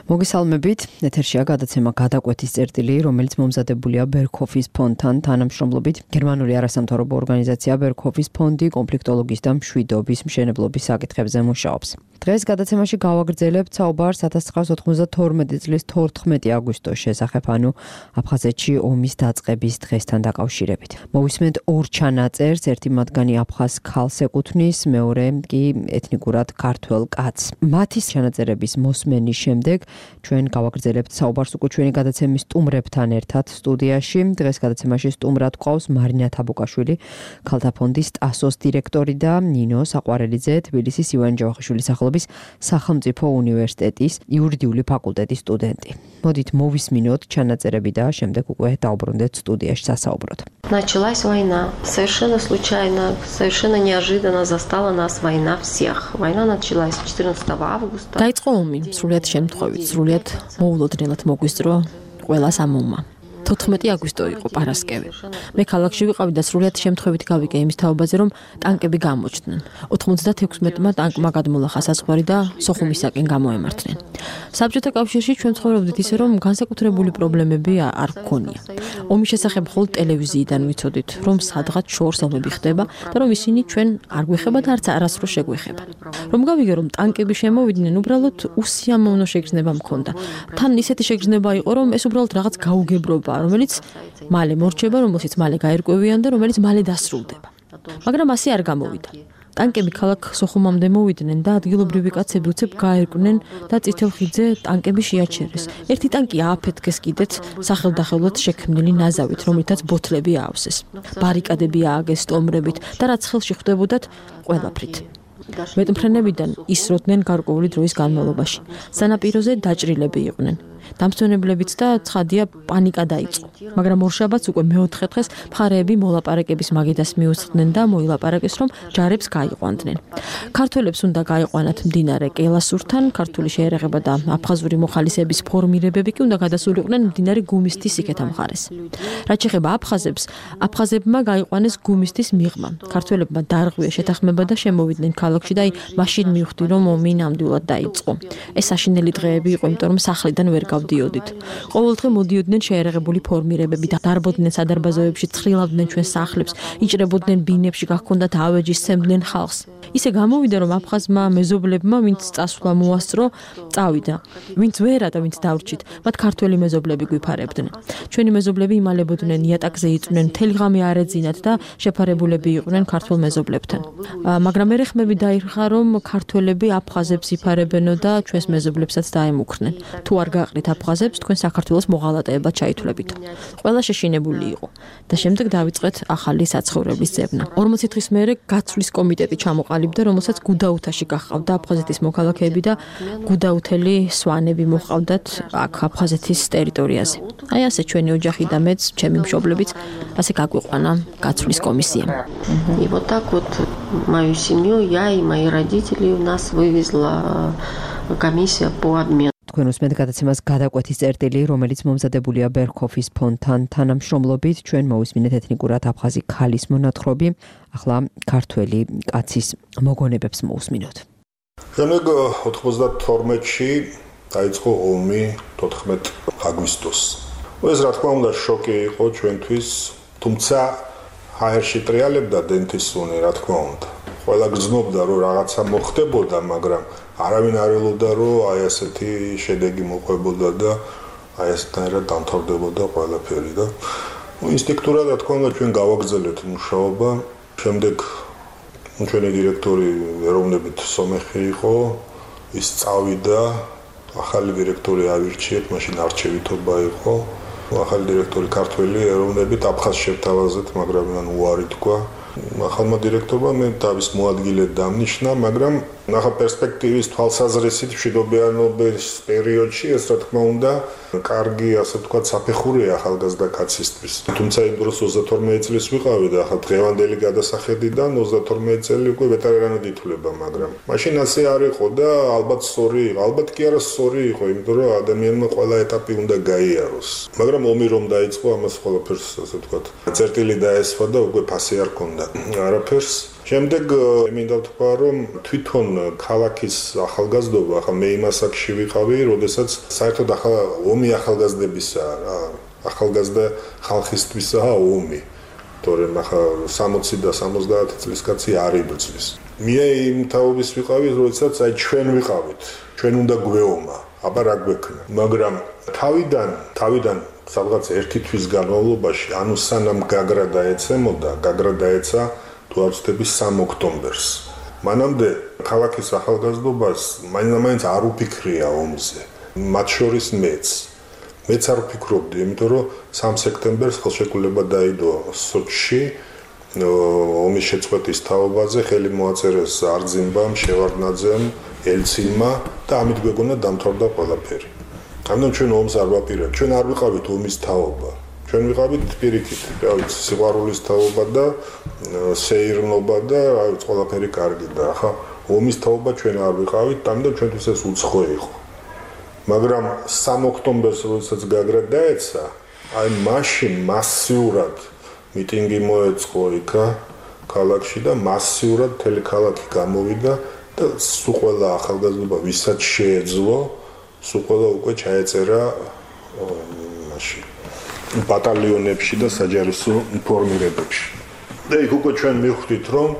მოგესალმებით, ეთერშია გადაცემა გადაკვეთის წერტილი, რომელიც მომზადებულია ბერქჰოფის ფონდთან თანამშრომლობით. გერმანული არასამთავრობო ორგანიზაცია ბერქჰოფის ფონდი კონფლიქტოლოგიის და მშვიდობის მშენებლობის საკითხებზე მუშაობს. დღეს გადაცემაში გავაგრძელებთ საუბარს 1992 წლის 14 აგვისტოს შესახებ, ანუ აფხაზეთში ომის დაწყების დღესთან დაკავშირებით. მოვისმენთ ორ ჩანაწერს, ერთი მათგანი აფხაზ ქალს ეკუთვნის, მეორე კი ეთნიკურად ქართველ კაცს. მათი ჩანაწერების მოსმენის შემდეგ ჩვენ გავაგრძელებთ საუბარს უკვე ჩვენი გადაცემის სტუმრებთან ერთად სტუდიაში. დღეს გადაცემაში სტუმრად გვყავს მარინა თაბუკაშვილი, ქალთა ფონდის ტასოს დირექტორი და ნინო საყვარელიძე, თბილისის ივანე ჯავახიშვილის სახელობის სახელმწიფო უნივერსიტეტის იურიდიული ფაკულტეტის სტუდენტი. მოდით მოვისმინოთ ჩანაწერები და შემდეგ უკვე დავბრუნდეთ სტუდიაში სასაუბროდ. Началась война. Совершенно случайно, совершенно неожиданно застала нас война всех. Война началась 14 августа. Დაიწყო ომი, სრულიად შემთხვევით, სრულიად მოულოდნელად მოგვისწრო ყველას ამ ომმა. 14 აგვისტო იყო პარასკევი. მე ქალაქში ვიყავი და სრულიად შემთხვევით გავიკე იმის თაობაზე, რომ ტანკები გამოჩნდნენ. 96-მა ტანკმა გადმოლახა საზღვარი და სოხუმისაკენ გამოემართნენ. საბჭოთა კავშირში ჩვენ ცხოვრობდით ისე, რომ განსაკუთრებული პრობლემები არ გქონია. ომის შესახებ მხოლოდ ტელევიზიიდან ვიცოდით, რომ სადღაც შორს ომები ხდება და რომ ისინი ჩვენ არ გვეხება და არც არასდროს შეგვეხება. რომ გავიგე, რომ ტანკები შემოვიდნენ, უბრალოდ უსიამოვნო შეგრძნება მქონდა. თან ისეთი შეგრძნება იყო, რომ ეს უბრალოდ რაღაც გაუგებრობა, რომელიც მალე მორჩება, რომელშიც მალე გაერკვევიან და რომელიც მალე დასრულდება. მაგრამ ასე არ გამოვიდა. ტანკები ქალაქ სოხუმამდე მოვიდნენ და ადგილობრივი კაცები უცებ გაერკვნენ და წითელ ხიდზე ტანკები შეაჩერეს. ერთი ტანკი ააფეთქეს კიდეც სახელდახელოდ შექმნილი ნაზავით, რომლითაც ბოთლები აავსეს. ბარიკადები ააგეს სტომრებით და რაც ხელში ხვდებოდათ ყველაფრით. მეტმფრენებიდან ისროდნენ გარკვეული დროის განმავლობაში. სანაპიროზე დაჭრილები იყვნენ. დამსვენებლებიც და ცხადია პანიკა დაიწყო. მაგრამ ორშაბათს უკვე მეოთხე დღეს მხარეები მოლაპარაკების მაგიდას მიუსხდნენ და მოილაპარაკეს, რომ ჯარებს გაიყვანდნენ. ქართველებს უნდა გაიყვანათ მდინარე კელასურთან, ქართული შეერაღება და აფხაზური მოხალისეების ფორმირებები კი უნდა გადასულიყვნენ მდინარე გუმისთის იქეთა მხარეს. რაც შეეხება აფხაზებს, აფხაზებმა გაიყვანეს გუმისთის მიღმა. ქართველებმა დაარღვია შეთანხმება და შემოვიდნენ ქალაქში და მაშინ მივხვდი, რომ ომი ნამდვილად დაიწყო. ეს საშინელი დღეები იყო, იმიტომ რომ სახლიდან ვერ გავდიოდით. ყოველდღე მოდიოდნენ შეერაღებული ფორმირებები და დარბოდნენ სადარბაზოებში, ცხრილავდნენ ჩვენ სახლებს, იჭრებოდნენ ბინებში, გახქონდათ ავეჯი, სცემდნენ ხალხს. ისე გამოვიდა, რომ აფხაზმა მეზობლებმა, ვინც წასვლა მოასწრო, წავიდა. ვინც ვერა და ვინც დავრჩით, მათ ქართველი მეზობლები გვიფარებდნენ. ჩვენი მეზობლები იმალებოდნენ, იატაკზე იწვნენ, მთელი ღამე არ ეძინათ და შეფარებულები იყვნენ ქართველ მეზობლებთან. მაგრამ ერეხმები დაირხა, რომ ქართველები აფხაზებს იფარებენო და ჩვენს მეზობლებსაც დაემუქრნენ. თუ არ გაყრით აფხაზებს, თქვენ საქართველოს მოღალატეებად ჩაითვლებით. ყველა შეშინებული იყო და შემდეგ დავიწყეთ ახალი საცხოვრებლის ძებნა. 40 დღის მერე გაცვლის კომიტეტი ჩამოყალიბდა, რომელსაც გუდაუთაში გაჰყავდა აფხაზეთის მოქალაქეები და გუდაუთელი სვანები მოჰყავდათ აქ აფხაზეთის ტერიტორიაზე. აი ასე ჩვენი ოჯახი და მეც, ჩემი მშობლებიც ასე გაგვიყვანა გაცვლის კომისიამ. И вот так вот мою семью, я и мои родители у нас вывезла комиссия по обмену. თქვენ უსმენთ გადაცემას გადაკვეთის წერტილი, რომელიც მომზადებულია ბერქჰოფის ფონდთან თანამშრომლობით. ჩვენ მოვისმინეთ ეთნიკურად აფხაზი ქალის მონათხრობი, ახლა ქართველი კაცის მოგონებებს მოვისმინოთ. შემდეგ 92-ში დაიწყო ომი 14 აგვისტოს. ეს რა თქმა უნდა შოკი იყო ჩვენთვის, თუმცა ჰაერში ტრიალებდა დენთისუნი, რა თქმა უნდა. ყველა გრძნობდა, რომ რაღაცა მოხდებოდა, მაგრამ არავინ არ ელოდა, რომ აი ასეთი შედეგი მოყვებოდა და აი ასეთნაირად დამთავრდებოდა ყველაფერი და ინსტინქტურად რა თქმა უნდა ჩვენ გავაგრძელეთ მუშაობა. შემდეგ ჩვენი დირექტორი ეროვნებით სომეხი იყო, ის წავიდა, ახალი დირექტორი ავირჩიეთ, მაშინ არჩევითობა იყო. ახალი დირექტორი ქართველი ეროვნებით აფხაზ შევთავაზეთ, მაგრამ მან უარი თქვა. ახალმა დირექტორმა მე თავის მოადგილედ დამნიშნა, მაგრამ ნახა პერსპექტივის თვალსაზრისით მშვიდობიანობის პერიოდში ეს რა თქმა უნდა კარგი, ასე ვთქვათ, საფეხურია ახალგაზრდა კაცისთვის. თუმცა იმ დროს 32 წლის ვიყავი და ახლა დღევანდელი გადასახედიდან 32 წელი უკვე ვეტერანად ითვლება, მაგრამ მაშინ ასე არ იყო და ალბათ სწორი იყო, ალბათ კი არა სწორი იყო, იმიტომ რომ ადამიანმა ყველა ეტაპი უნდა გაიაროს. მაგრამ ომი რომ დაიწყო, ამას ყველაფერს, ასე ვთქვათ, წერტილი დაესვა და უკვე ფასი არ ქონდა არაფერს. შემდეგ მინდა ვთქვა, რომ თვითონ ქალაქის ახალგაზრდობა, ახლა მე იმ ასაკში ვიყავი, როდესაც საერთოდ ომი ახალგაზრდებისაა რა. ახალგაზრდა ხალხისთვისაა ომი. თორემ ახლა 60 და 70 წლის კაცი არ იბრძვის. მე იმ თაობის ვიყავი, როდესაც ჩვენ ვიყავით. ჩვენ უნდა გვეომა, აბა რა გვექნა. მაგრამ თავიდან სადღაც 1 თვის განმავლობაში, ანუ სანამ გაგრა დაეცა თუ არ ვცდები 3 ოქტომბერს. მანამდე ქალაქის ახალგაზრდობას მაინც არ უფიქრია ომზე. მათ შორის მეც არ ვფიქრობდი, იმიტომ რომ 3 სექტემბერს ხელშეკრულება დაიდო სოჩში ომის შეწყვეტის თაობაზე, ხელი მოაწერეს არძიმბამ, შევარდნაძემ, ელცინმა და ამით გვეგონა დამთავრდა ყველაფერი. ამიტომ ჩვენ ომს არ ვაპირებთ, ჩვენ არ ვიყავით ომის თაობა. ჩვენ ვიყავით პირიქით, სიყვარულის თაობა და სეირნობა და ყველაფერი კარგი და ახლა ომის თაობა ჩვენ არ ვიყავით, ამიტომ ჩვენთვის ეს უცხო იყო. მაგრამ 3 ოქტომბერს როდესაც გაგრა დაეცა, აი მაშინ მასიურად მიტინგი მოეწყო იქა ქალაქში და მასიურად მთელი ქალაქი გამოვიდა და სულ ყველა ახალგაზრდობა ვისაც შეეძლო, სულ ყველა უკვე ჩაეწერა მაშინ ბატალიონებში და საჯარისო ფორმირებებში. და იქ უკვე ჩვენ მივხვდით, რომ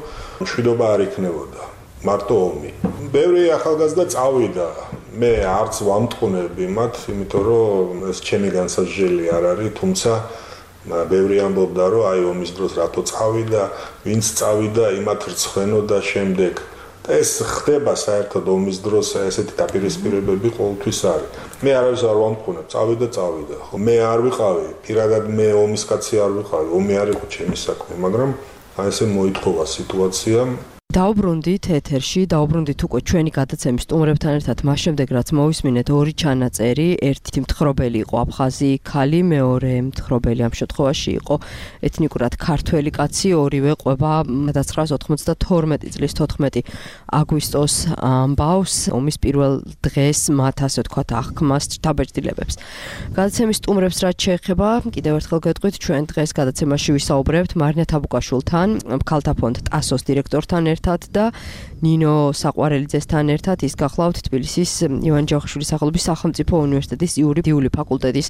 მშვიდობა არ იქნებოდა, მარტო ომი. ბევრი ახალგაზრდა წავიდა. მე არც ვამტყუნები მათ, იმიტომ რომ ეს ჩემი განსაზღვრელი არ არის, თუმცა ბევრი ამბობდა, რომ აი ომის დროს რატო წავიდა, ვინც წავიდა, იმათ რცხენო და შემდეგ. და ეს ხდება საერთოდ ომის დროს ესეთი დაპირისპირებები ყოველთვის არის. მე არავის არ ვამტყუნებ, წავიდა. ხო, მე არ ვიყავი, პირადად მე ომის კაცი არ ვიყავი, ომი არ იყო ჩემი საქმე, მაგრამ აი ესე მოითხოვა სიტუაცია. დაუბრუნდით ეთერში, დაუბრუნდით უკვე ჩვენი გადაცემის სტუმრებთან ერთად, მას შემდეგ რაც მოვისმინეთ 2 ჩანაწერი, ერთი მთხრობელი იყო აფხაზი ქალი, მეორე მთხრობელი ამ შემთხვევაში იყო ეთნიკურად ქართველი კაცი, ორივე ყვება 1992 წლის 14 აგვისტოს ამბავს, ომის პირველ დღეს მათ ასე ვთქვათ აღქმას დაბეჭდილებებს. გადაცემის სტუმრებს რაც შეეხება, კიდევ ერთხელ გეტყვით, ჩვენ დღეს გადაცემაში ვისაუბრებთ მარინა თაბუკაშვილთან, ქალთა ფონდ ტასოს დირექტორთან და ნინო საყვარელიძესთან ერთად ის გახლავთ თბილისის ივან ჯავახიშვილის სახელობის სახელმწიფო უნივერსიტეტის იურიდიული ფაკულტეტის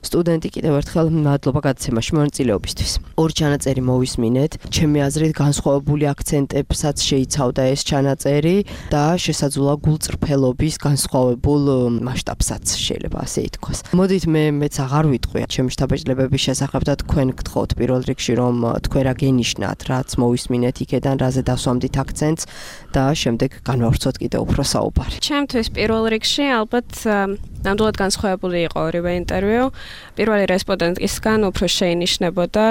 სტუდენტი. კიდევ ერთხელ მადლობა გადაცემაში მონაწილეობისთვის. 2 ჩანაწერი მოვისმინეთ. ჩემი აზრით განსხვავებული აქცენტებსაც შეიცავდა ეს ჩანაწერი და შესაძლოა გულწრფელობის განსხვავებულ მასშტაბსაც შეიძლება ასე ითქვას. მოდით მეც აღარ ვიტყვი ჩემი შთაბეჭდილებების შესახებ და თქვენ გთხოვთ პირველ რიგში რომ თქვენ რა გენიშნათ, რაც მოვისმინეთ იქედან, რაზე დასვამდით აქცენტს და შემდეგ განვავრცოთ კიდევ უფრო საუბარი. ჩემთვის პირველ რიგში ალბათ ნამდვილად განსხვავებული იყო ორივე ინტერვიუ. პირველი რესპონდენტისგან უფრო შეინიშნებოდა,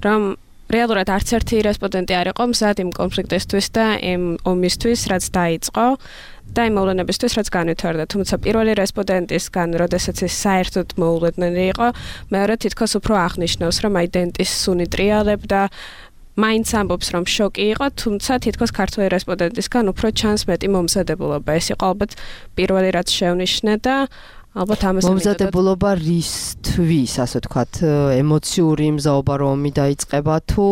რომ რეალურად არც ერთი რესპონდენტი არ იყო მზად იმ კონფლიქტისთვის და იმ ომისთვის, რაც დაიწყო და იმ მოვლენებისთვის, რაც განვითარდა. თუმცა პირველი რესპონდენტისგან, როდესაც ის საერთოდ მოულოდნელი იყო, მეორე თითქოს უფრო აღნიშნავს, რომ აიდენტის სუნი ტრიალებდა, მაინც ამბობს, რომ შოკი იყო, თუმცა თითქოს ქართველი რესპონდენტისგან უფრო ჩანს მეტი მომზადებულობა. ეს იყო ალბათ პირველი რაც შევნიშნე და ალბათ ამას მომზადებულობა რისთვის, ასე ვთქვათ, ემოციური მზაობა რომი დაიწყება თუ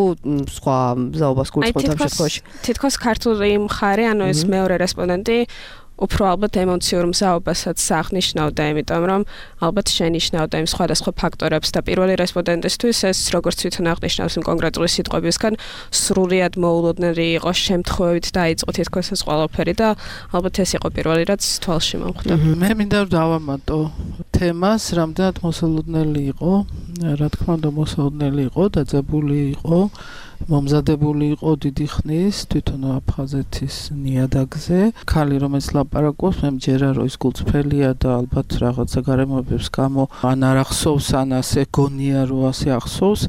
სხვა მზაობას გულწრფელთ ამ შემთხვევაში? თითქოს ქართული მხარე, ანუ ეს მეორე რესპონდენტი უფრო ალბათ ემოციურ მზაობასაც აღნიშნავდა, იმიტომ რომ ალბათ შენიშნავდა იმ სხვადასხვა ფაქტორებს და პირველი რესპონდენტისთვის ეს როგორც თვითონ აღნიშნავს იმ კონკრეტული სიტყვებისგან სრულიად მოულოდნელი იყო, შემთხვევით დაიწყო თითქოს ეს ყველაფერი და ალბათ ეს იყო პირველი რაც თვალში მომხვდა. მე მინდა დავამატო თემას, რამდენად მოსალოდნელი იყო, რა თქმა უნდა მოსალოდნელი იყო, დაძაბული იყო, მომზადებული იყო დიდი ხნის თვითონ აფხაზეთის ნიადაგზე. ქალი რომელიც ლაპარაკობს, მე მჯერა რომ ის გულწრფელია და ალბათ რაღაცა გარემოებებს გამო ან არ ახსოვს, ან ასე გონია რომ ასე ახსოვს.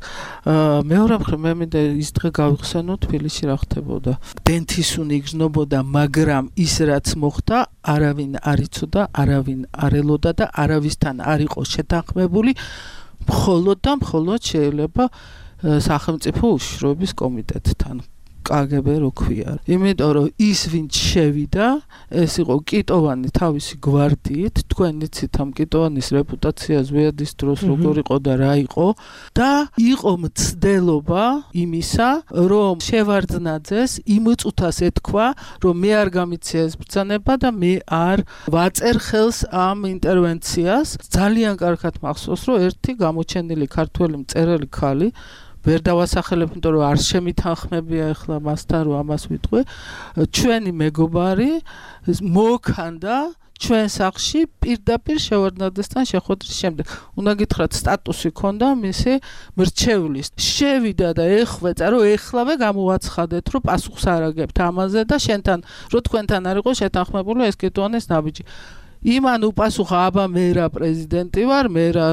მეორე მხრივ მე მინდა ის დღე გავიხსენო თბილისში რა ხდებოდა. დენთისუნი იგრძნობოდა, მაგრამ ის რაც მოხდა, არავინ არ იცოდა, არავინ არ ელოდა და არავისთან არ იყო შეთანხმებული, მხოლოდ და მხოლოდ შეიძლება სახელმწიფო უშიშროების კომიტეტთან. კგბ რო ქვია. იმიტომ რომ ის ვინც შევიდა, ეს იყო კიტოვანი თავისი გვარდიით, თქვენ იცით ამ კიტოვანის რეპუტაცია ზვიადის დროს როგორ იყო და რა იყო და იყო მცდელობა იმისა, რომ შევარდნაძეს იმ წუთას ეთქვა, რომ მე არ გამიცია ეს ბრძანება და მე არ ვაწერ ხელს ამ ინტერვენციას. ძალიან კარგად მახსოვს, რომ ერთი გამოჩენილი ქართველი მწერალი ქალი ვერ დავასახელებ, იმიტომ რომ არ შემითანხმებია ახლა მასთან რომ ამას ვიტყვი. ჩვენი მეგობარი მოქანდა ჩვენ სახლში პირდაპირ შევარდნაძესთან შეხვედრის შემდეგ. უნდა გითხრათ, სტატუსი ჰქონდა მისი მრჩევლის. შევიდა და ეხვეწა, რომ ეხლავე გამოვაცხადეთ, რომ პასუხს არ აგებთ ამაზე და შენთან, რომ თქვენთან არ იყო შეთანხმებული ეს კიტოვანის ნაბიჯი. იმან უპასუხა, აბა მე რა პრეზიდენტი ვარ, მე რა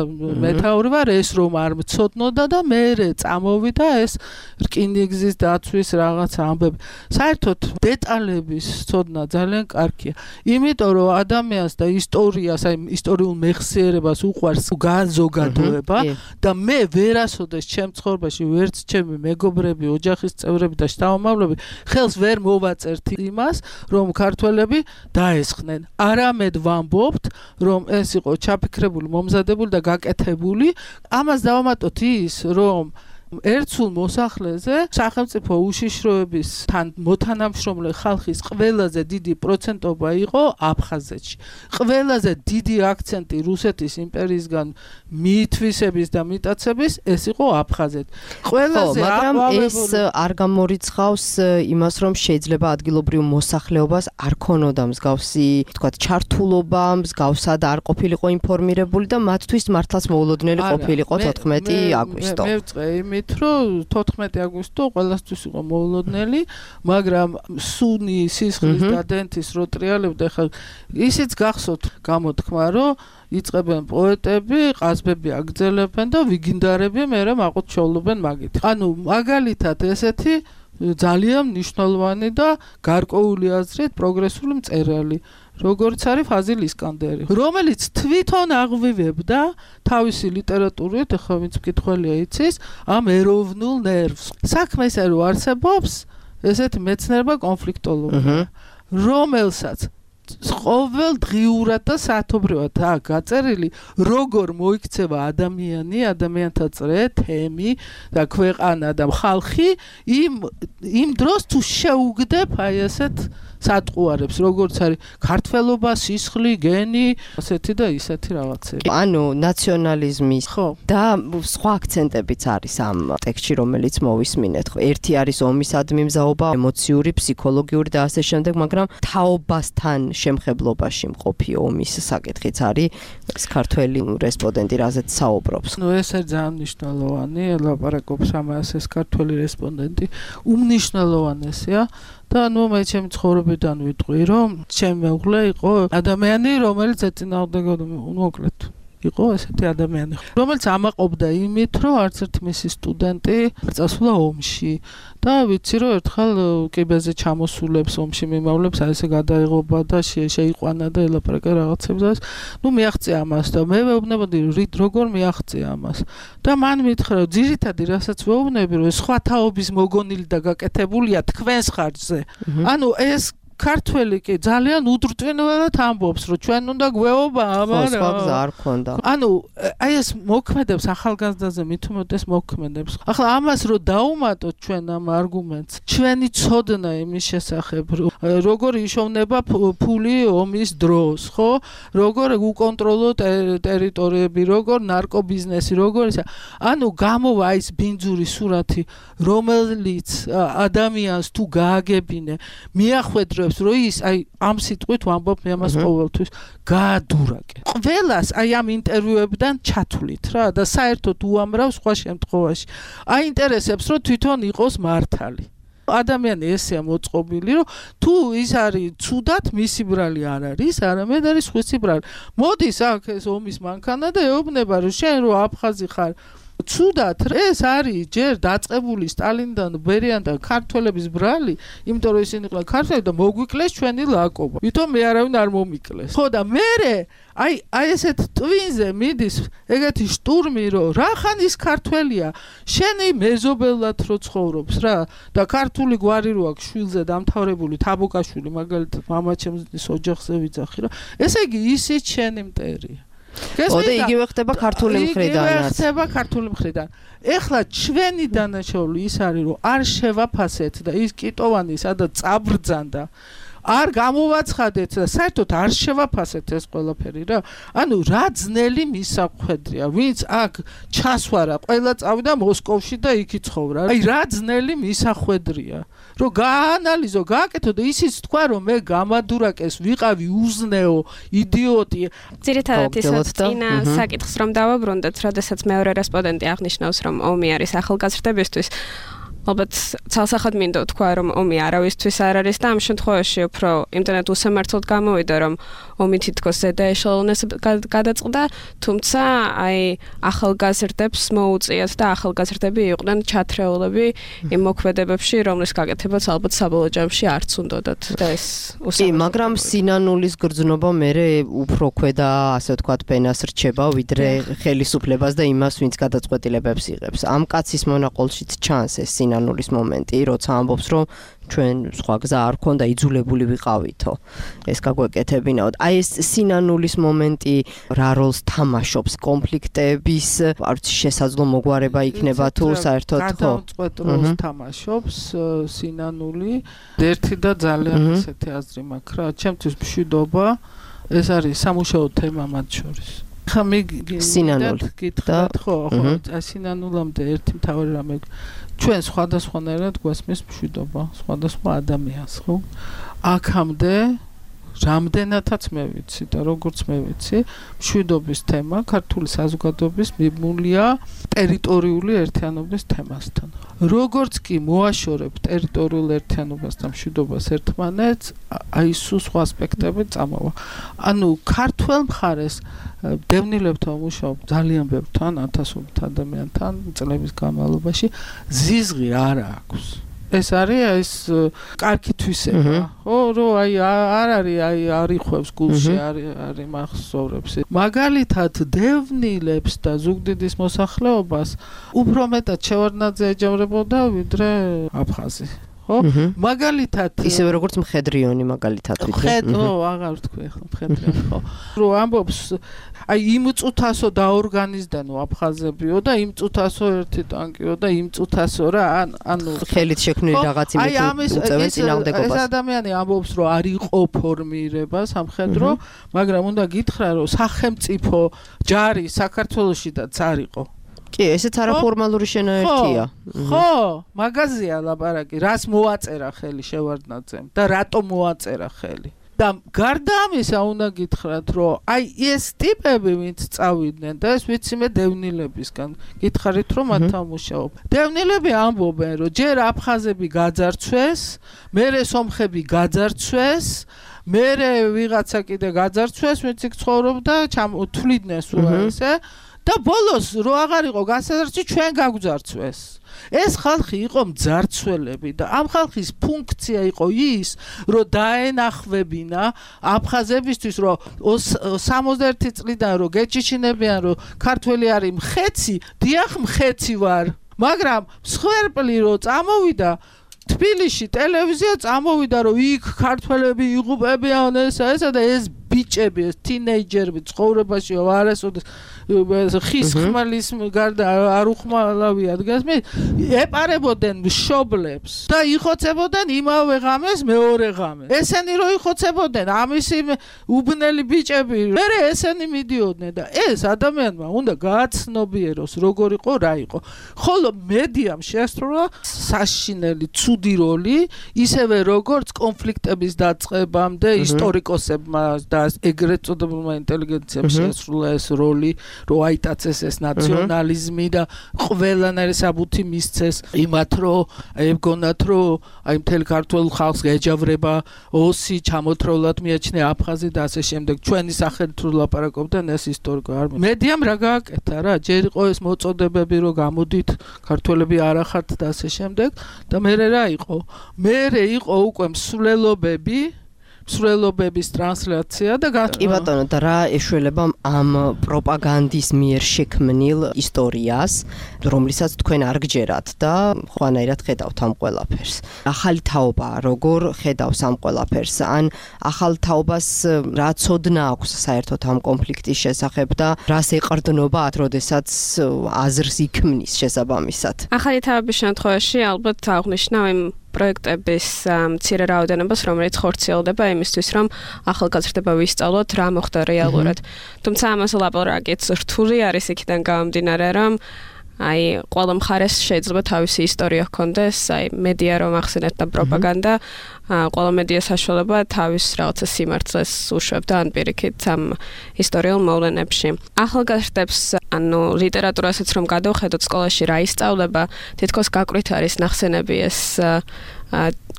მეთაური ვარ, ეს რომ არ მცოდნოდა და მე წამოვიდა ეს რკინიგზის დაცვის რაღაც ამბები. საერთოდ დეტალების ცოდნა ძალიან კარგია. იმიტომ რომ ადამიანს და ისტორიას, აი ისტორიულ მეხსიერებას უყვარს განზოგადოება და მე ვერასოდეს ჩემ ცხოვრებაში ვერც ჩემი მეგობრები, ოჯახის წევრები და შთამომავლები ხელს ვერ მოვაწერთ იმას, რომ ქართველები დაესხნენ. არამედ ვამბობთ, რომ ეს იყო ჩაფიქრებული, მომზადებული და გაკეთებული. ამას დავამატოთ ის, რომ ერთსულ მოსახლეზე სახელმწიფო უშიშროებისთან მოთანამშრომლე ხალხის ყველაზე დიდი პროცენტობა იყო აფხაზეთში. ყველაზე დიდი აქცენტი რუსეთის იმპერიისგან მიითვისების და მიტაცების ეს იყო აფხაზეთი. ყველაზე მაგრამ ეს არ გამორიცხავს იმას, რომ შეიძლება ადგილობრივ მოსახლეობას არ ქონოდა მსგავსი, თქვათ, ჩართულობა, მსგავსად არ ყოფილიყო ინფორმირებული და მათთვის მართლაც მოულოდნელი ყოფილიყო 14 აგვისტო. მე ვწვე იმით, რომ 14 აგვისტო ყველასთვის იყო მოულოდნელი, მაგრამ სუნი სისხლის და დენთის რო ტრიალებდა, ხა ისიც გახსოვთ გამოთქმა, რომ იწყებენ პოეტები, ყაზბები აგძელებენ და ვიგინდარები მერე მაყოთ შოულობენ მაგით. ანუ მაგალითად ესეთი ძალიან მნიშვნელოვანი და გარკვეული აზრით პროგრესული მწერალი, როგორც არის ფაზილ ისკანდერი, რომელიც თვითონ აღვივებდა თავისი ლიტერატურით, ახლა ვინც მკითხველია იცის, ამ ეროვნულ ნერვს. საქმე ისე რომ არსებობს ესეთი მეცნიერება კონფლიქტოლოგია, რომელსაც ყოველ დღიურად და საათობრივად გაწერილი, როგორ მოიქცევა ადამიანი, ადამიანთა წრე, თემი და ქვეყანა და ხალხი იმ დროს თუ შეუგდებ აი ესეთ სატყუარებს, როგორც არის ქართველობა, სისხლი, გენი, ასეთი და ისეთი რაღაცები. ანუ ნაციონალიზმის და სხვა აქცენტებიც არის ამ ტექსტში, რომელიც მოვისმინეთ. ერთი არის ომისადმი მზაობა, ემოციური, ფსიქოლოგიური და ასე შემდეგ, მაგრამ თაობასთან შემხებლობაში მყოფი ომის საკითხიც არის ეს ქართველი რესპონდენტი, რაზეც საუბრობს. ეს არის ძალიან მნიშვნელოვანი, ელაპარაკობს ამას ეს ქართველი რესპონდენტი, უმნიშვნელოვანესია. და ნუ მე ჩემი ცხოვრებიდან ვიტყვი, რომ ჩემი მეუღლე იყო ადამიანი, რომელიც ეწინააღმდეგებოდა, მოკლედ იყო ესეთი ადამიანი, რომელიც ამაყობდა იმით, რომ არც ერთ მისი სტუდენტი წასულა ომში და ვიცი, რომ ერთხელ კიბეზე ჩამოსულებს ომში მიმავლებს აი ესე გადაიღობა და შეიყვანა და ელაპარაკა რაღაცებს. ნუ მიაღწია ამას და მე ვეუბნებოდი როგორ მიაღწია ამას. და მან მითხრა, ძირითადი რასაც ვეუბნები, რომ სხვა თაობის მოგონილი და გაკეთებულია თქვენს ხარჯზე. ანუ ეს ქართველი კი ძალიან უდრტვინველად ამბობს, რომ ჩვენ უნდა გვეობა, მაგრამ სხვა გზა არ ქონდა. ანუ აი ეს მოქმედებს ახალგაზრდაზე მithumetes მოქმედებს. ახლა ამას რო დაუმატოთ ჩვენ ამ არგუმენტს, ჩვენი ცოდნა იმის შესახებ, როგორ იშოვნება ფული ომის დროს, ხო? როგორ უკონტროლო ტერიტორიები, როგორ ნარკობიზნესი, როგორ ისა. ანუ გამოვა ის ბინძური სურათი, რომელიც ადამიანს თუ გააგებინე, მიახვედრებს რომ ის აი ამ სიტყვით ვამბობ მე ამას ყოველთვის გაადურაკე. ყველას აი ამ ინტერვიუებიდან ჩათვლით რა და საერთოდ უამრავ სხვა შემთხვევაში აინტერესებს რომ თვითონ იყოს მართალი. ადამიანი ესეა მოწყობილი, რომ თუ ის არის ცუდად, მისი ბრალი არ არის, არამედ არის სხვისი ბრალი. მოდის აქ ეს ომის მანქანა და ეუბნება, რომ შენ რო აფხაზი ხარ, ცუდად ეს არის ჯერ დაწყებული სტალინიდან ბერიანთან ქართველების ბრალი, იმიტომ რომ ისინი ყლა ქართველი და მოგვიკლეს ჩვენი ლაკობა. ვითომ მე არავინ არ მომიკლეს. ხო და მე აი ესეთ ტვინზე მიდის ეგეთი შტურმი რომ რახან ის ქართველია შენი მეზობელად რო ცხოვრობს რა და ქართული გვარი რო აქვს შვილზე დამთავრებული თაბუკაშვილი მაგალითად მამაჩემს ოჯახზე ვიძახი რა ესე იგი ისიც შენი მტერია ოდე იგივე ხდება ქართული მხრიდანაც. ხდება ქართული მხრიდან. ეხლა ჩვენი დანაშაული ის არის რომ არ შევაფასეთ და ის კიტოვანი სადაც წაბრძანდა არ გამოვაცხადეთ და საერთოდ არ შევაფასეთ ეს ყველაფერი რა. ანუ რა ძნელი მისახვედრია, ვინც აქ ჩასვარა, ყველა წავიდა მოსკოვში და იქ იცხოვრა. აი რა ძნელი მისახვედრია. რომ გაანალიზო, გააკეთო და ისიც თქვა რომ მე გამადურაკეს, ვიყავი უზნეო, იდიოტი. ძირითადად ისაც წინა საკითხს რომ დავაბრუნდეთ, როდესაც მეორე რესპონდენტი აღნიშნავს რომ ომი არის ახალგაზრდებისთვის. ალბათ ცალსახად მინდა თქვა რომ ომი არავისთვის არ არის და ამ შემთხვევაში უფრო იმდენად უსამართლოდ გამოვიდა რომ ომი თითქოს ზედა ეშელონეს გადაწყდა თუმცა აი ახალგაზრდებს მოუწიათ და ახალგაზრდები იყვნენ ჩათრეულები იმ მოქმედებებში რომლის გაკეთებაც ალბათ საბოლოო ჯამში არც უნდათ და ეს უსამართლოა მაგრამ სინანულის გრძნობა მერე უფრო ქვედა ასე ვთქვათ ბენას რჩება ვიდრე ხელისუფლებას და იმას ვინც გადაწყვეტილებებს იღებს ამ კაცის მონაყოლშიც ჩანს ეს სინანულის მომენტი, როცა ამბობს, რომ ჩვენ სხვა გზა არ ქონდა, იძულებული ვიყავითო. ეს გაგვეკეთებინაოდ. აი ეს სინანულის მომენტი რა როლს თამაშობს კონფლიქტების, არც შესაძლო მოგვარება იქნება თუ საერთოდ ხო? გადამწყვეტ როლს თამაშობს სინანული. ერთი და ძალიან ისეთი აზრი მაქვს რა, ჩემთვის მშვიდობა ეს არის სამუშაო თემა მათ შორის. ხამი სინანული გითხრათ ხო სინანულამდე ერთი მთავარი რამე ჩვენ სხვადასხვანაირად გვასმის მშვიდობა სხვადასხვა ადამიანს ხო აქამდე რამდენადაც მე ვიცი და როგორც მე ვიცი მშვიდობის თემა ქართული საზოგადოების მიმულია ტერიტორიული ერთიანობის თემასთან როგორც კი მოაშორებ ტერიტორიულ ერთიანობას და მშვიდობას ერთმანეთს აი სულ სხვა ასპექტები წამოვა ანუ ქართულ მხარეს დევნილებთან მუშაობ ძალიან ბევრთან ათასობით ადამიანთან წლების განმავლობაში ზიზღი არ აქვს ეს არის ეს კარგი თვისება ხო რომ აი არ არის აი არიხვევს გულში არის მახსოვრებს მაგალითად დევნილებს და ზუგდიდის მოსახლეობას უფრო მეტად შევარდნაძე ეჯავრებოდა ვიდრე აფხაზი ხო მაგალითად ისევე როგორც მხედრიონი მაგალითად ხო აღარ ვთქვი ხო მხედრიონი ხო რომ ამბობს აი იმ წუთასო დაორგანიზდანო აფხაზებიო და იმ წუთასო ერთი ტანკიო და იმ წუთასო რა ანუ ხელით შექმნილი რაღაც იმით უწევენ წინააღმდეგობას ეს ადამიანი ამბობს რომ არ იყო ფორმირება სამხედრო მაგრამ უნდა გითხრა რომ სახელმწიფო ჯარი საქართველოში და არ იყო კი, ესეც არაფორმალური შენაერთია. ხო, მაგაზია ლაპარაკი, რას მოაწერა ხელი შევარდნაძემ და რატომ მოაწერა ხელი. და გარდა ამისა უნდა გითხრათ, რომ აი ეს ტიპები ვინც წავიდნენ და ეს ვიცი მე დევნილებისგან, გითხარით რომ მათთან მუშაობ. დევნილები ამბობენ, რომ ჯერ აფხაზები გაძარცვეს, მერე სომხები გაძარცვეს, მერე ვიღაცა კიდე გაძარცვეს, ვინც იქ ცხოვრობდა, თვლიდნენ სულ ესე და ბოლოს რო აღარ იყო გასაზრდში ჩვენ გაგვძარცვეს. ეს ხალხი იყო მძარცველები და ამ ხალხის ფუნქცია იყო ის, რომ დაენახვებინა აფხაზებისთვის, რომ 61 წლიდან რომ გეჭიჩინებიან, რომ ქართველი არის მხეცი, დიახ მხეცი ვარ, მაგრამ მსხვერპლი რო წამოვიდა თბილისში ტელევიზია წამოვიდა რომ იქ ქართველები იღუპებიან ესა და ეს ბიჭები ეს თინეიჯერები ცხოვრებაში არასოდეს ხის ხმალის გარდა არ უხმალავია დგას მე ეპარებოდნენ მშობლებს და იხოცებოდნენ იმავე ღამეს მეორე ღამეს ესენი რო იხოცებოდნენ ამისი უბნელი ბიჭები მე ესენი მიდიოდნენ და ეს ადამიანმა უნდა გააცნობიეროს როგორ იყო რა იყო ხოლო მედიამ შეასრულა საშინელი ცუდი როლი ისევე როგორც კონფლიქტების დაწყებამდე ისტორიკოსებმა და ეგრეთ წოდებულმა ინტელიგენციამ შეასრულა ეს როლი, რომ აიტაცეს ეს ნაციონალიზმი და ყველანაირი საბუთი მისცეს იმათ, რომ ეგონათ, რომ აი მთელ ქართულ ხალხს ეჯავრება ოსი, ჩამოთროლად მიაჩნია აფხაზი და ასე შემდეგ. ჩვენი სახელით თუ ლაპარაკობდნენ ეს ისტორიკო არ მედიამ რა გააკეთა რა, ჯერ იყო ეს მოწოდებები, რომ გამოდით ქართველები არახართ და ასე შემდეგ და მერე რა იყო? მერე იყო უკვე მსვლელობების ტრანსლაცია და კი ბატონო და რა ეშველება ამ პროპაგანდის მიერ შექმნილ ისტორიას, რომლიცაც თქვენ არ გჯერათ და ხვანაირად ხედავთ ამ ყველაფერს. ახალი თაობა როგორ ხედავს ამ ყველაფერს? ან ახალ თაობას რა ცოდნა აქვს საერთოდ ამ კონფლიქტის შესახებ და რას ეყრდნობა, როდესაც აზრს იქმნის შესაბამისად? ახალი თაობის შემთხვევაში ალბათ აღნიშნავ იმ პროექტების მცირე რაოდენობას, რომელიც ხორციელდება იმისთვის, რომ ახალგაზრდება ვისწავლოთ, რა მოხდა რეალურად. თუმცა ამაზე ლაპარაკიც რთული არის იქიდან გამომდინარე, რომ აი ყველა მხარეს შეიძლება თავისი ისტორია ჰქონდეს, აი მედია რომ ახსენეთ და პროპაგანდა, ყველა მედია საშუალება თავის რაღაცა სიმართლეს უშვებდა ან პირიქით ამ ისტორიულ მოვლენებში. ახალგაზრდებს ანუ ლიტერატურასაც რომ გადავხედოთ სკოლაში რა ისწავლება, თითქოს გაკვით არის ნახსენები ეს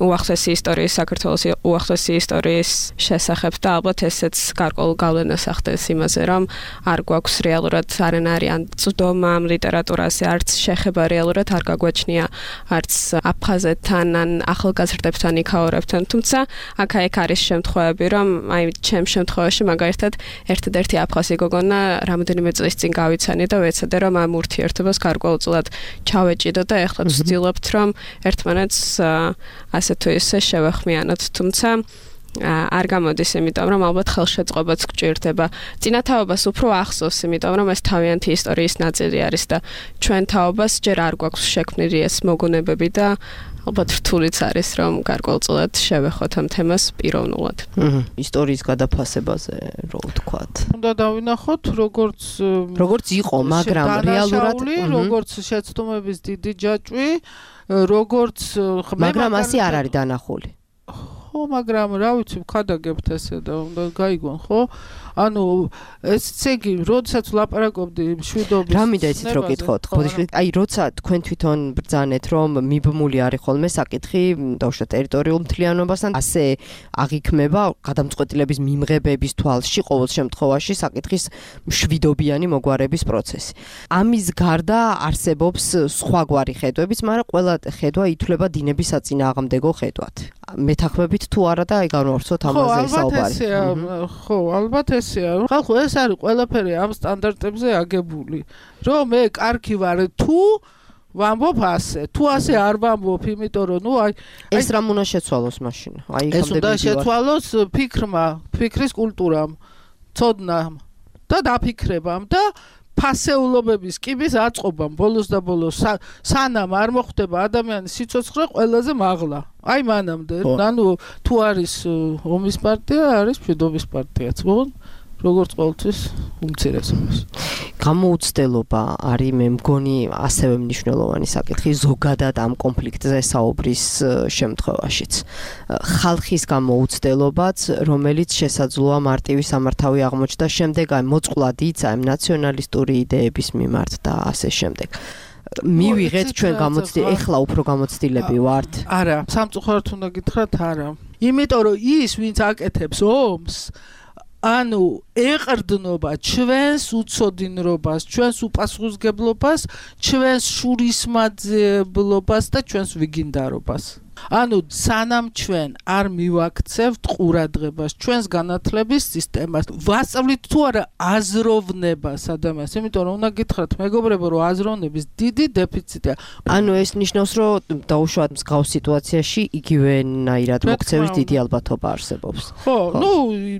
უახლესი ისტორიის, საქართველოს უახლესი ისტორიის შესახებ და ალბათ ესეც გარკვეულ გავლენას ახდენს იმაზე, რომ არ გვაქვს რეალურად არანაირი ან წვდომა ამ ლიტერატურაზე, არც შეხება რეალურად არ გაგვაჩნია, არც აფხაზეთთან ან ახალგაზრდებთან იქაურებთან. თუმცა აქ-აქ არის შემთხვევები, რომ აი ჩემ შემთხვევაში მაგალითად ერთადერთი აფხაზი გოგონა რამოდენიმე წლის წინ გავიცანი და ვეცადე რომ ამ ურთიერთობას გარკვეულწილად ჩავეჭიდო და ეხლა ვცდილობთ რომ ერთმანეთს ასე თუ ისე შევეხმიანოთ, თუმცა არ გამოდის, იმიტომ რომ ალბათ ხელშეწყობაც გჭირდება. წინა თაობას უფრო ახსოვს, იმიტომ რომ ეს თავიანთი ისტორიის ნაწილი არის და ჩვენ თაობას ჯერ არ გვაქვს შექმნილი ეს მოგონებები და ალბათ რთულიც არის, რომ გარკვეულწილად შევეხოთ ამ თემას პიროვნულად. ისტორიის გადაფასებაზე რო ვთქვათ. უნდა დავინახოთ, როგორც იყო, მაგრამ რეალურად როგორც შეცდომების დიდი ჯაჭვი, როგორც მაგრამ ასე არ არის დანახული. ხო, მაგრამ რა ვიცი, ვქადაგებთ ესე და უნდა გაიგონ, ხო? ანუ ესე იგი, როდესაც ვლაპარაკობდი მშვიდობის რა მინდა იცით რო გითხოთ? აი, როცა თქვენ თვითონ ბრძანეთ, რომ მიბმული არის ხოლმე საკითხი დაუშვათ ტერიტორიულ მთლიანობასთან, ასე აღიქმება გადამწყვეტილების მიმღებების თვალში ყოველ შემთხვევაში საკითხის მშვიდობიანი მოგვარების პროცესი. ამის გარდა არსებობს სხვაგვარი ხედვებიც, მაგრამ ყველა ხედვა ითვლება დინების საწინააღმდეგო ხედვად. მეთანხმებით თუ არა და აი განვავრცოთ ამაზე საუბარი. ხო, ალბათ ესეა. ხალხო, ეს არის ყველაფერი ამ სტანდარტებზე აგებული. რომ მე კარგი ვარ თუ ვამბობ ასე, თუ ასე არ ვამბობ, იმიტომ რომ აი ეს რამ უნდა შეცვალოს მაშინ. აი ეს უნდა შეცვალოს ფიქრის კულტურამ, ცოდნამ და დაფიქრებამ და ფასეულობების კიბის აწყობამ ბოლოს და ბოლოს სანამ არ მოხდება ადამიანის სიცოცხლე ყველაზე მაღლა. აი მანამდე, ანუ თუ არის ომის პარტია, არის მშვიდობის პარტიაც. როგორც ყოველთვის უმცირესობას. გამოუცდელობა არის მე მგონი ასევე მნიშვნელოვანი საკითხი ზოგადად ამ კონფლიქტზე საუბრის შემთხვევაშიც. ხალხის გამოუცდელობაც, რომელიც შესაძლოა მარტივი სამართავი აღმოჩნდა შემდეგ აი მოწყვლად იცა ამ ნაციონალისტური იდეების მიმართ და ასე შემდეგ. მივიღეთ ჩვენ ეხლა უფრო გამოცდილები ვართ. არა, სამწუხაროდ უნდა გითხრათ არა. იმიტომ რომ ის ვინც აკეთებს ომს ანუ ეყრდნობა ჩვენს უცოდინრობას, ჩვენს უპასუხისმგებლობას, ჩვენს შურისმაძიებლობას და ჩვენს ვიგინდარობას. ანუ სანამ ჩვენ არ მივაქცევთ ყურადღებას ჩვენს განათლების სისტემას, ვასწავლით თუ არა აზროვნებას ადამიანს, იმიტომ რომ უნდა გითხრათ მეგობრებო, რომ აზროვნების დიდი დეფიციტია. ანუ ეს ნიშნავს, რომ დაუშვათ მსგავს სიტუაციაში იგივენაირად მოქცევის დიდი ალბათობა არსებობს. ხო, ნუ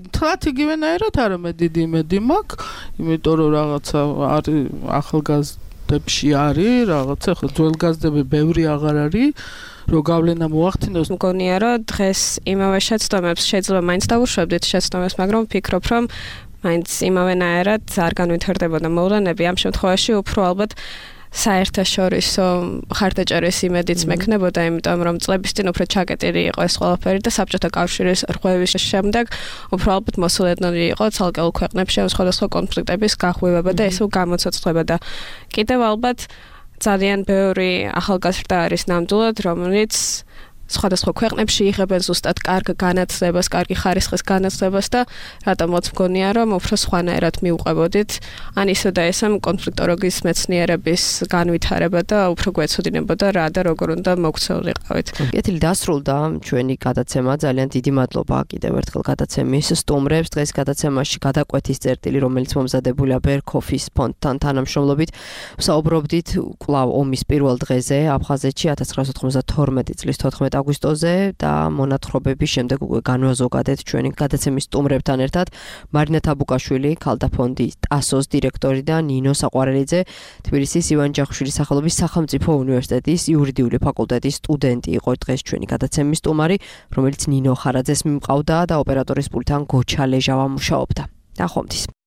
თლათ იგივენაირად არა მე დიდი იმედი მაქვს, იმიტომ რომ რაღაცა არის ახალგაზრდებში არის, რაღაცა ხო ძველგაზრდები ბევრი აღარ არის. რო გავლენა მოახდინოს. მგონია რომ დღეს იმავე შეცდომებს შეიძლება მაინც დავუშვებდით შეცდომებს, მაგრამ ვფიქრობ რომ მაინც იმავენაირად არ განვითარდებოდა მოვლენები. ამ შემთხვევაში უფრო ალბათ საერთაშორისო ხარდაჭერის იმედიც მექნებოდა, იმიტომ რომ წლების წინ უფრო ჩაკეტილი იყო ეს ყველაფერი და საბჭოთა კავშირის რღვევის შემდეგ უფრო ალბათ მოსულოდნელი იყო ცალკეულ ქვეყნებში სხვადასხვა კონფლიქტების გახვევება და ესე გამოცოცხლება და კიდევ ალბათ ძალიან ბევრი ახალგაზრდა არის ნამდვილად, რომელიც სხვადასხვა ქვეყნებში იღებენ ზუსტად კარგ განათლებას, კარგი ხარისხის განათლებას და რატომაც მგონია, რომ უფრო სხვანაირად მიუყვებოდით, ან ისე და ესემ კონფლიქტოლოგიის მეცნიერების განვითარება და უფრო გვეცოდინებოდა რა და როგორ უნდა მოქცეულიყავით. კეთილი დასრულდა ჩვენი გადაცემა. ძალიან დიდი მადლობა კიდევ ერთხელ გადაცემის სტუმრებს. დღეს გადაცემაში გადაკვეთის წერტილი, რომელიც მომზადებულია ბერქოფის ფონდთან თანამშრომლობით, ვსაუბრობდით კვლავ ომის პირველ დღეზე აფხაზეთში 1992 წლის 14 აგვისტოზე და მონათხრობების შემდეგ უკვე განვაზოგადეთ ჩვენი გადაცემის სტუმრებთან ერთად მარინა თაბუკაშვილი, ქალთა ფონდის ტასოს დირექტორი და ნინო საყვარელიძე, თბილისის ივან ჯახუშვილის სახელობის სახელმწიფო უნივერსიტეტის იურიდიული ფაკულტეტის სტუდენტი იყო დღეს ჩვენი გადაცემის სტუმარი, რომელიც ნინო ხარაძეს მიმყავდა და ოპერატორის პულტთან გოჩა ლეჟავა მუშაობდა. ნახვამდის.